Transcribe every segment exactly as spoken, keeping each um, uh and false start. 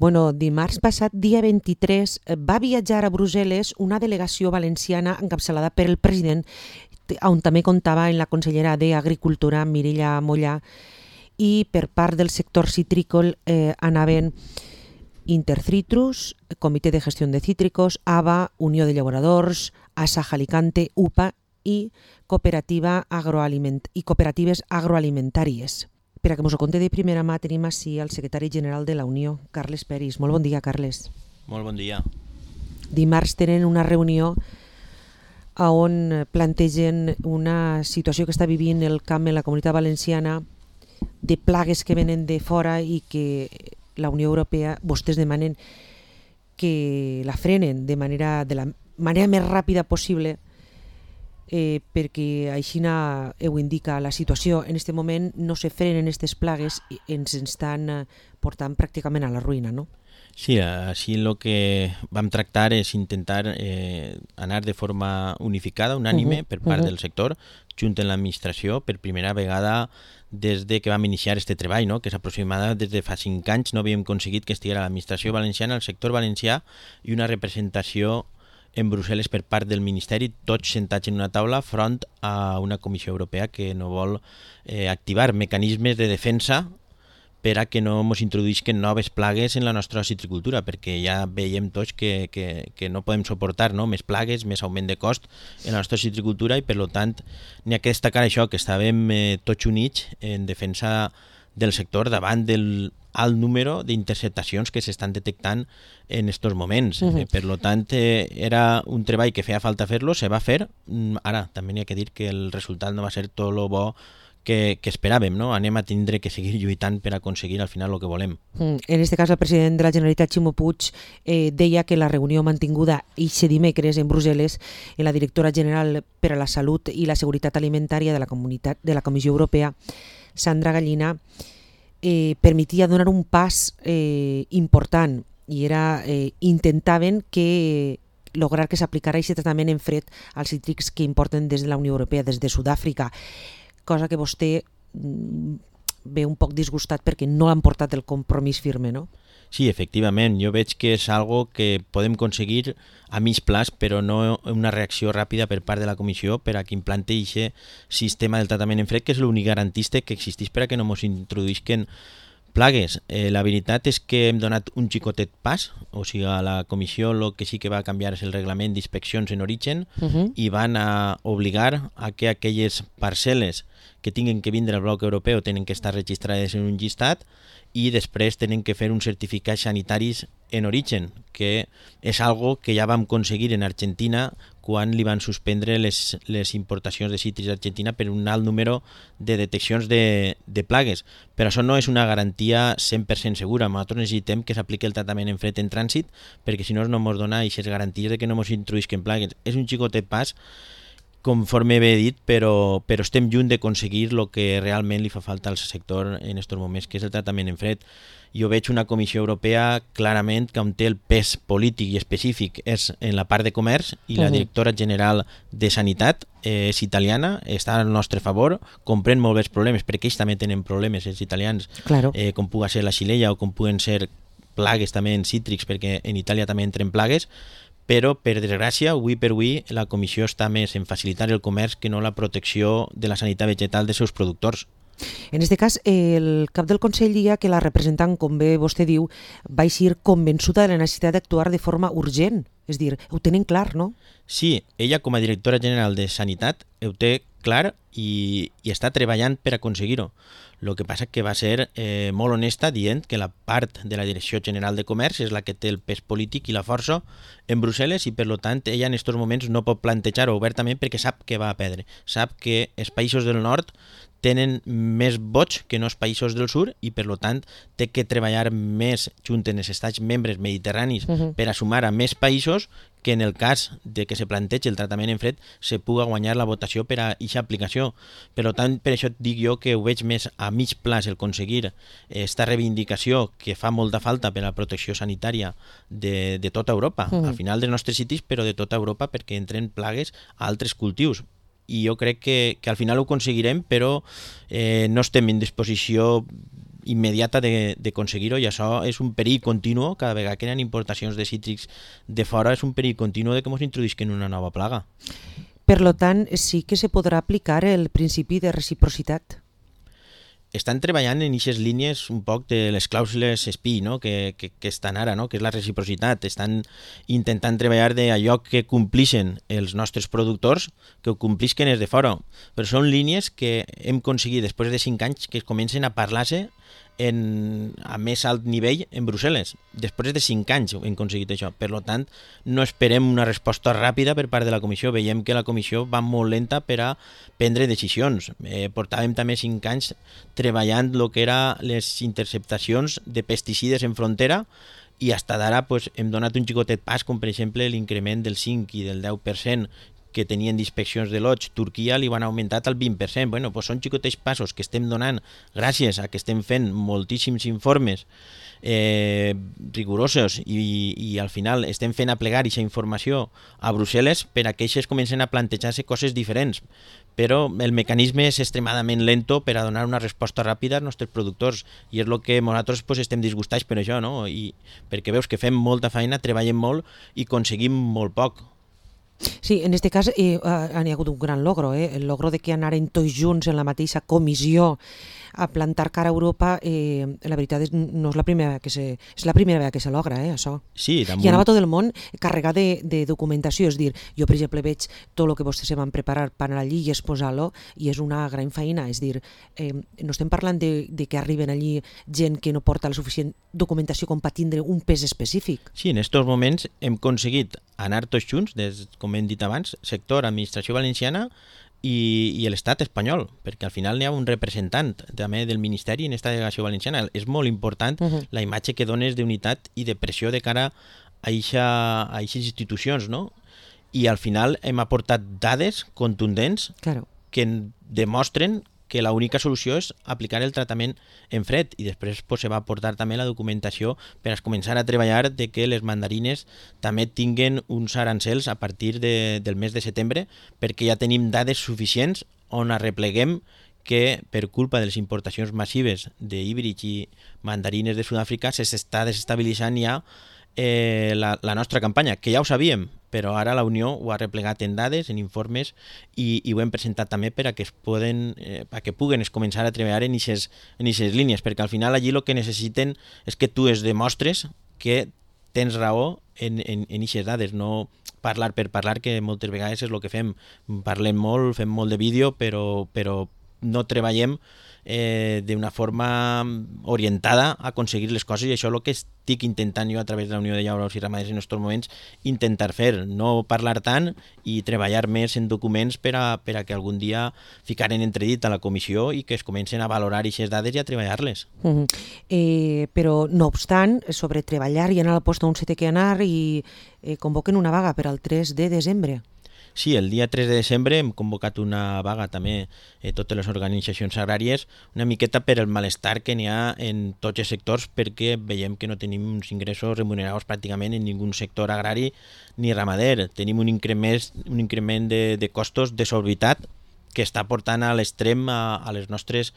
Bueno, dimarts passat, dia vint-i-tres, va viatjar a Brussel·les una delegació valenciana encapçalada per el president, on també comptava en la consellera d'Agricultura, Mireia Mollà, i per part del sector citrícola eh, anaven Intercitrus, Comitè de Gestió de Cítricos, A B A, Unió de Llauradors, Asaja Alicante, U P A i, cooperativa agroaliment i cooperatives agroalimentàries. Per a que ens ho conti de primera mà tenim així el secretari general de la Unió, Carles Peris. Molt bon dia, Carles. Molt bon dia. Dimarts tenen una reunió on plantegen una situació que està vivint el camp en la Comunitat Valenciana de plagues que venen de fora i que la Unió Europea, vostès demanen que la frenen de manera de la manera més ràpida possible, eh, perquè així ho indica la situació. En aquest moment no se frenen aquestes plagues i ens estan portant pràcticament a la ruïna, no? Sí, així el que vam tractar és intentar eh, anar de forma unificada, unànime, uh-huh, per part uh-huh. del sector, junt amb l'administració, per primera vegada des de que vam iniciar aquest treball, no? Que és aproximadament des de fa cinc anys no havíem aconseguit que estigués l'administració valenciana, el sector valencià i una representació en Brussel·les per part del Ministeri, tots sentats en una taula front a una Comissió Europea que no vol eh, activar mecanismes de defensa per a que no ens introduïsquen noves plagues en la nostra citricultura, perquè ja veiem tots que, que, que no podem suportar, no? Més plagues, més augment de cost en la nostra citricultura i per tant n'hi ha que destacar això, que estàvem eh, tots units en defensa del sector davant del alt número d'interceptacions que s'estan detectant en aquests moments. Uh-huh. eh, per tant, eh, era un treball que feia falta fer-lo, se va fer. Ara, també n'hi ha que dir que el resultat no va ser tot lo bo que, que esperàvem, no? Anem a tindre que seguir lluitant per aconseguir al final el que volem. Mm. En aquest cas, el president de la Generalitat, Ximo Puig, eh, deia que la reunió mantinguda aquest dimecres en Brussel·les en la directora general per a la Salut i la Seguretat Alimentària de la, comunitat, de la Comissió Europea, Sandra Gallina, eh, permetia donar un pas eh, important i era eh, intentaven que lograr que s'aplicara aquest tractament en fred als cítrics que importen des de la Unió Europea, des de Sud-àfrica, cosa que vostè ve un poc disgustat perquè no han portat el compromís firme, no? Sí, efectivament, jo veig que és algo que podem aconseguir a mig plaç, però no una reacció ràpida per part de la Comissió per a que implante aquest sistema del tractament en fred, que és l'únic garantista que existeix per a que no ens introduïsquen plagues. Eh, la veritat és que hem donat un xicotet pas, o sigui, a la Comissió el que sí que va canviar és el reglament d'inspeccions en origen uh-huh. i van a obligar a que aquelles parcel·les que tinguin que vindre al bloc europeu tenen que estar registrades en un llistat i després tenen que fer uns certificats sanitaris en origen, que és algo que ja vam aconseguir en Argentina quan li van suspendre les, les importacions de cítrics d'Argentina per un alt número de deteccions de, de plagues. Però això no és una garantia cent per cent segura. Nosaltres necessitem que s'apliqui el tractament en fred en trànsit, perquè si no no ens dona aquestes garanties de que no ens introduïsquen plagues. És un xicotet pas, conforme he dit, però, però estem lluny d'aconseguir el que realment li fa falta al sector en aquests moments, que és el tractament en fred. Jo veig una Comissió Europea clarament que on té el pes polític i específic és en la part de comerç i la directora general de Sanitat eh, és italiana, està al nostre favor, comprèn molt bé els problemes, perquè ells també tenen problemes, els italians, claro. eh, com pugui ser la xilella o com puguen ser plagues també en cítrics, perquè en Itàlia també entren plagues, però, per desgràcia, avui per avui, la Comissió està més en facilitar el comerç que no la protecció de la sanitat vegetal dels seus productors. En aquest cas, el cap del Consell dia que la representant, com bé vostè diu, va ser convençuda de la necessitat d'actuar de forma urgent. És a dir, ho tenen clar, no? Sí, ella com a directora general de Sanitat ho té clar i, i està treballant per aconseguir-ho. El que passa que va ser eh, molt honesta dient que la part de la Direcció General de Comerç és la que té el pes polític i la força en Brussel·les i per tant ella en aquests moments no pot plantejar-ho obertament perquè sap que va a perdre. Sap que els països del nord tenen més vots que no els països del sud i per tant té que treballar més junt en els estats membres mediterranis uh-huh. per a sumar a més països que en el cas de que se plantegi el tractament en fred se puga guanyar la votació per a aquesta aplicació. Per tant, per això et dic jo que ho veig més a mig plaç el aconseguir aquesta reivindicació que fa molta falta per a la protecció sanitària de, de tota Europa, uh-huh. al final dels nostres citis, però de tota Europa perquè entren plagues a altres cultius. I jo crec que, que al final ho aconseguirem, però eh, no estem en disposició immediata d'aconseguir-ho, i això és un perill continu. Cada vegada que hi ha importacions de cítrics de fora és un perill continu de que ens introduïsquen una nova plaga. Per lo tant, sí que se podrà aplicar el principi de reciprocitat. Estan treballant en aquestes línies un poc de les clàusules S P I, no? que, que, que estan ara, no? que és la reciprocitat. Estan intentant treballar d'allò que complixen els nostres productors, que ho complisquen els de fora. Però són línies que hem aconseguit després de cinc anys que es comencen a parlar-se en, a més alt nivell en Brussel·les. Després de cinc anys hem aconseguit això. Per tant, no esperem una resposta ràpida per part de la Comissió. Veiem que la Comissió va molt lenta per a prendre decisions. Eh, portàvem també cinc anys treballant el que eren les interceptacions de pesticides en frontera, i fins d'ara pues, hem donat un xicotet pas, com per exemple l'increment del cinc i del deu per cent que tenien d'inspeccions de lots. Turquia li van augmentat al vint per cent. Bueno, pues són xicotets passos que estem donant gràcies a que estem fent moltíssims informes eh, rigorosos i, i al final estem fent aplegar aquesta informació a Brussel·les per a que ells comencen a plantejar-se coses diferents. Però el mecanisme és extremadament lento per a donar una resposta ràpida als nostres productors, i és el que nosaltres pues, estem disgustats per això, no? I perquè veus que fem molta feina, treballem molt i aconseguim molt poc. Sí, en aquest cas eh, ha hagut un gran logro, eh? El logro de que anaren tots junts en la mateixa comissió a plantar cara a Europa, eh, la veritat és, no és la primera que se, és la primera vegada que se logra, eh, això. Sí, damunt... I anava tot el món carregat de, de documentació, és dir, jo per exemple veig tot el que vostès se van preparar per anar allí i exposar-lo, i és una gran feina, és dir, eh, no estem parlant de, de que arriben allí gent que no porta la suficient documentació com per tindre un pes específic. Sí, en aquests moments hem aconseguit anar tots junts, des, com hem dit abans, sector, administració valenciana i, i l'estat espanyol, perquè al final n'hi ha un representant també del Ministeri en aquesta delegació valenciana. És molt important uh-huh. la imatge que dones d'unitat i de pressió de cara a aquestes institucions, no? I al final hem aportat dades contundents claro. que demostren que l'única solució és aplicar el tractament en fred, i després pues, se va aportar també la documentació per a començar a treballar de que les mandarines també tinguen uns arancels a partir de, del mes de setembre, perquè ja tenim dades suficients on arrepleguem que per culpa de les importacions massives d'híbrids i mandarines de Sud-àfrica s'està desestabilitzant ja eh, la, la nostra campanya, que ja ho sabíem, però ara la Unió ho ha replegat en dades, en informes, i, i ho hem presentat també per a que es poden, eh, a que puguen es començar a treballar en aquestes en aquestes línies, perquè al final allí el que necessiten és que tu es demostres que tens raó en en, en aquestes dades, no parlar per parlar, que moltes vegades és el que fem. Parlem molt, fem molt de vídeo, però, però no treballem eh, d'una forma orientada a aconseguir les coses, i això és el que estic intentant jo a través de la Unió de Llauradors i Ramaders en aquests moments intentar fer, no parlar tant i treballar més en documents per a, per a que algun dia ficaren entredit a la comissió i que es comencen a valorar aquestes dades i a treballar-les. Uh-huh. eh, però no obstant, sobre treballar i anar al post on se té que anar, i eh, convoquen una vaga per al tres de desembre. Sí, el dia tres de desembre hem convocat una vaga també eh, totes les organitzacions agràries, una miqueta per el malestar que n'hi ha en tots els sectors, perquè veiem que no tenim uns ingressos remunerats pràcticament en ningú sector agrari ni ramader. Tenim un increment, un increment de, de costos desorbitat que està portant a l'extrem a, a les nostres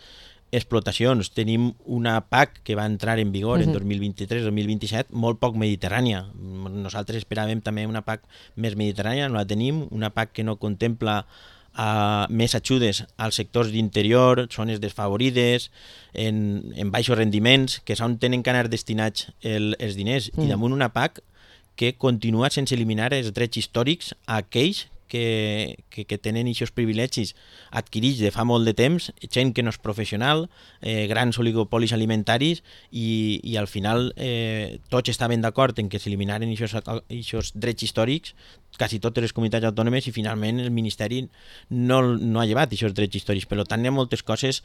explotacions. Tenim una P A C que va entrar en vigor uh-huh. en dos mil vint-i-tres dos mil vint-i-set molt poc mediterrània. Nosaltres esperàvem també una P A C més mediterrània, no la tenim, una P A C que no contempla uh, més ajudes als sectors d'interior, zones desfavorides, en, en baixos rendiments, que és on tenen que anar destinats el, els diners, uh-huh. i damunt una P A C que continua sense eliminar els drets històrics a aquells Que, que, que tenen aquests privilegis adquirits de fa molt de temps, gent que no és professional, eh, grans oligopolis alimentaris, i, i al final eh, tots estaven d'acord en que s'eliminaren aquests drets històrics, quasi totes les comunitats autònomes, i finalment el Ministeri no, no ha llevat aquests drets històrics. Per tant, hi ha moltes coses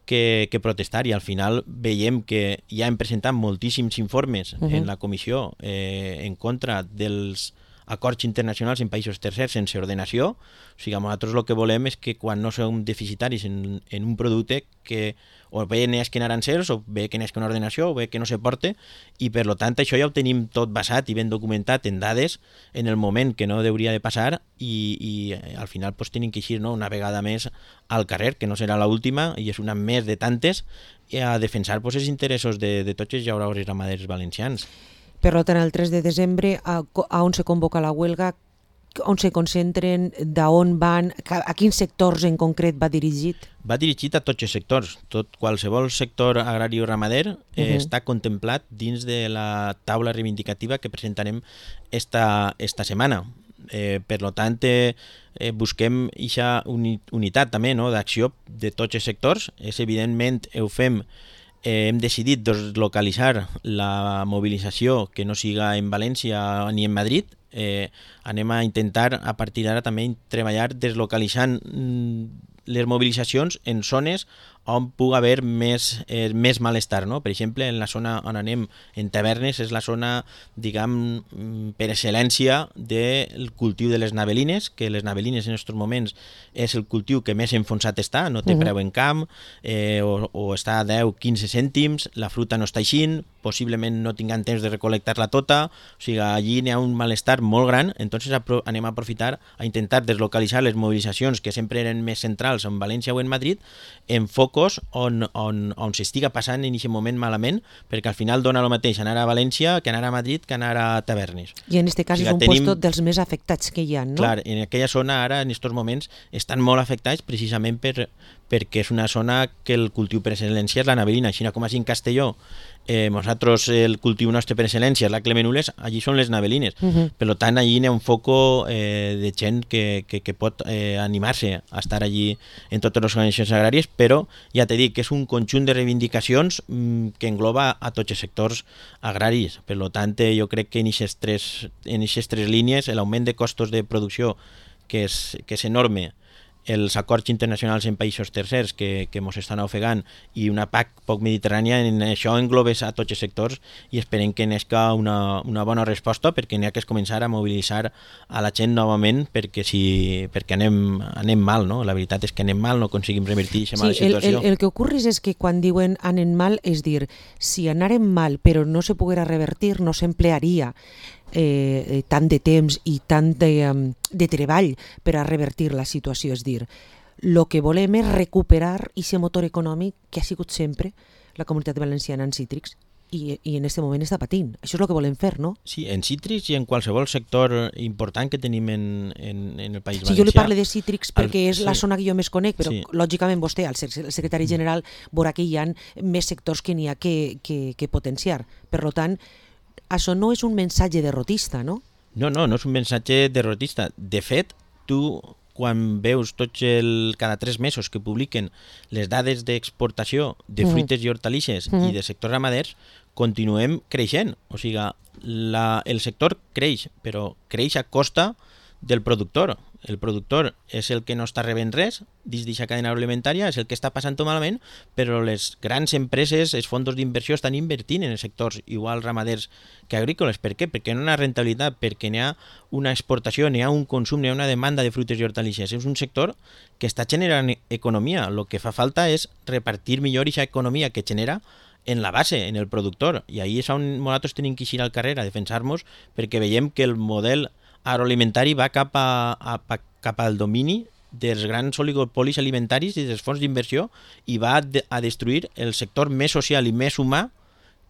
que, que protestar, i al final veiem que ja hem presentat moltíssims informes uh-huh. en la comissió eh, en contra dels acords internacionals en països tercers sense ordenació. O sigui, nosaltres el que volem és que quan no som deficitaris en, en un producte que o bé n'esquen arancels, o bé que n'esquen ordenació, o bé que no se porte, i per tant això ja ho tenim tot basat i ben documentat en dades en el moment que no hauria de passar, i, i al final pues, tenim que eixir, no?, una vegada més al carrer, que no serà l'última, i és una més de tantes, a defensar pues, els interessos de, de tots els llauraors i ramaders valencians. Per tant, el tres de desembre, a, a on se convoca la huelga, on se concentren, d'on van, a quins sectors en concret va dirigit? Va dirigit a tots els sectors. Tot, qualsevol sector agrari o ramader eh, uh-huh. està contemplat dins de la taula reivindicativa que presentarem esta, esta setmana. Eh, per tant, eh, busquem aquesta uni, unitat també, no?, d'acció de tots els sectors. És evidentment, ho fem, eh, hem decidit deslocalitzar la mobilització que no siga en València ni en Madrid. Eh, anem a intentar a partir d'ara també treballar deslocalitzant mm, les mobilitzacions en zones on pugui haver més, eh, més malestar, no? Per exemple, en la zona on anem, en Tavernes, és la zona, diguem, per excel·lència del cultiu de les navelines, que les navelines en aquests moments és el cultiu que més enfonsat està, no té uh-huh. preu en camp, eh, o, o està a deu a quinze cèntims, la fruta no està eixint, possiblement no tinguem temps de recol·lectar-la tota, o sigui, allí n'hi ha un malestar molt gran, entonces apro- anem a aprofitar a intentar deslocalitzar les mobilitzacions que sempre eren més centrals en València o en Madrid, en focus on, on, on s'estiga passant en aquest moment malament, perquè al final dona el mateix anar a València que anar a Madrid que anar a Tavernes. I en aquest cas o sigui, és un tenim... puesto dels més afectats que hi ha, no? Clar, en aquella zona ara, en aquests moments, estan molt afectats precisament per, perquè és una zona que el cultiu per excel·lència és la navelina, així com així en Castelló. Eh, nosaltres el cultiu nostre per excel·lència és la Clemenules, allí són les navelines. Uh-huh. Per tant, allí n'hi ha un foco eh, de gent que, que, que pot eh, animar-se a estar allí en totes les organitzacions agràries, però ja t'he dit que és un conjunt de reivindicacions mm, que engloba a tots els sectors agraris. Per tant, eh, jo crec que en aquestes tres, en aquestes tres línies l'augment de costos de producció que és, que és enorme, els acords internacionals en països tercers que, que ens estan ofegant i una P A C poc mediterrània, en això englobes a tots els sectors i esperem que n'esca una, una bona resposta, perquè n'hi ha que començar a mobilitzar a la gent novament perquè, si, perquè anem, anem mal, no? La veritat és que anem mal, no aconseguim revertir aquesta mala sí, situació. El, el, el que ocorre és que quan diuen anem mal, és dir, si anarem mal però no se poguera revertir, no s'emplearia Eh, tant de temps i tant de, um, de treball per a revertir la situació. És dir, el que volem és recuperar aquest motor econòmic que ha sigut sempre la comunitat valenciana en cítrics i, i en aquest moment està patint. Això és el que volem fer, no? Sí, en cítrics i en qualsevol sector important que tenim en, en, en el País Valencià. Sí, jo li parlo de cítrics perquè el, és la sí. zona que jo més conec, però sí. lògicament vostè, el secretari general, veurà que hi ha més sectors que n'hi ha que, que, que potenciar. Per tant, això no és un mensatge derrotista, no? No, no, no és un mensatge derrotista. De fet, tu, quan veus tots el, cada tres mesos que publiquen les dades d'exportació de fruites mm. i hortalisses mm. i de sectors ramaders, continuem creixent. O sigui, la, el sector creix, però creix a costa del productor. El productor és el que no està rebent res dins d'aquesta cadena agroalimentària, és el que està passant-ho malament, però les grans empreses, els fons d'inversió estan invertint en els sectors igual ramaders que agrícoles. Per què? Perquè no hi ha rentabilitat, perquè n'hi ha una exportació, n'hi ha un consum, n'hi ha una demanda de fruites i hortalisses. És un sector que està generant economia. El que fa falta és repartir millor aquesta economia que genera en la base, en el productor. I ahí és on nosaltres tenim que eixir al carrer a defensar-nos, perquè veiem que el model agroalimentari va cap, a, a, cap al domini dels grans oligopolis alimentaris i dels fons d'inversió i va a, de, a destruir el sector més social i més humà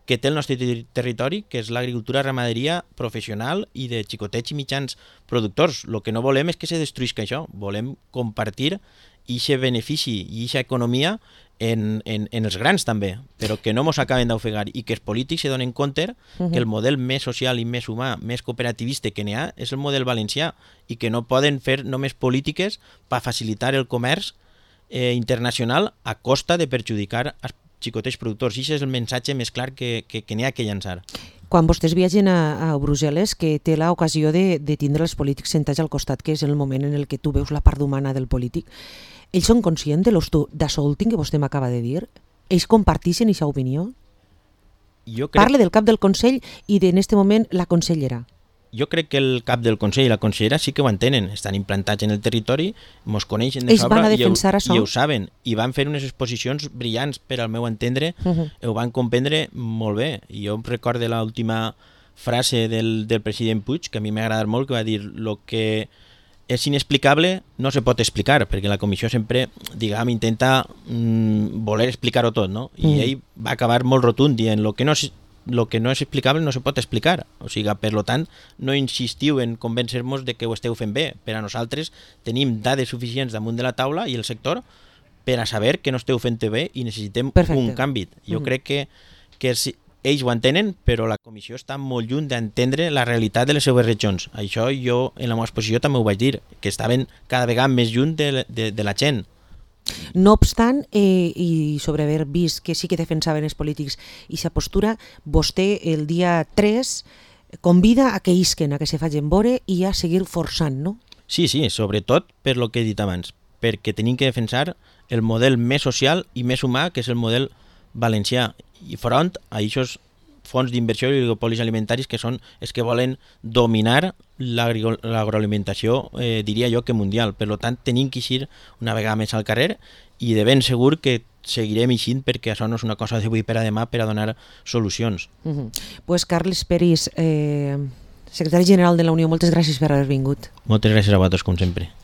que té el nostre ter territori, que és l'agricultura ramaderia professional i de xicotets i mitjans productors. El que no volem és que se destruïsca això, volem compartir aquest benefici i aquesta economia en, en, en els grans també, però que no ens acaben d'ofegar i que els polítics se donen compte uh-huh. que el model més social i més humà, més cooperativista que n'hi ha és el model valencià i que no poden fer només polítiques per facilitar el comerç eh, internacional a costa de perjudicar els xicotets productors. I aquest és el missatge més clar que, que, que n'hi ha que llançar. Quan vostès viatgen a, a Brussel·les, que té l'ocasió de, de tindre els polítics sentats al costat, que és el moment en el que tu veus la part humana del polític, ells són conscients de d'això últim que vostè m'acaba de dir? Ells comparteixen aquesta opinió? Jo crec... Parle del cap del Consell i en aquest moment la consellera. jo crec que el cap del Consell i la consellera sí que ho entenen, estan implantats en el territori, mos coneixen de Ells van sobra a i, ho, defensar això? i ho saben, i van fer unes exposicions brillants, per al meu entendre, Uh -huh. ho van comprendre molt bé. I jo em recordo l'última frase del, del president Puig, que a mi m'ha agradat molt, que va dir: lo que és inexplicable no se pot explicar, perquè la comissió sempre, diguem, intenta mm, voler explicar-ho tot, no? I Mm. ell va acabar molt rotund dient: lo que no és, lo que no és explicable no se pot explicar. O sigui, per lo tant, no insistiu en convèncer-nos de que ho esteu fent bé. Per a nosaltres tenim dades suficients damunt de la taula i el sector per a saber que no esteu fent bé i necessitem Perfecte. un canvi. Jo Mm. crec que, que si, ells ho entenen, però la comissió està molt lluny d'entendre la realitat de les seues regions. Això jo, en la meva exposició, també ho vaig dir, que estaven cada vegada més lluny de, de, de la gent. No obstant, eh, i sobre haver vist que sí que defensaven els polítics i sa postura, vostè el dia tres convida a que isquen, a que se facin vore i a seguir forçant, no? Sí, sí, sobretot per lo que he dit abans, perquè tenim que defensar el model més social i més humà, que és el model valencià, i front a aquests fons d'inversió i oligopolis alimentaris que són els que volen dominar l'agri- l'agroalimentació, eh, diria jo que mundial. Per tant, tenim que eixir una vegada més al carrer i de ben segur que seguirem eixint, perquè això no és una cosa d'avui per a demà per a donar solucions. Uh -huh. Pues Carles Peris, eh, secretari general de la Unió, moltes gràcies per haver vingut. Moltes gràcies a vosaltres, com sempre.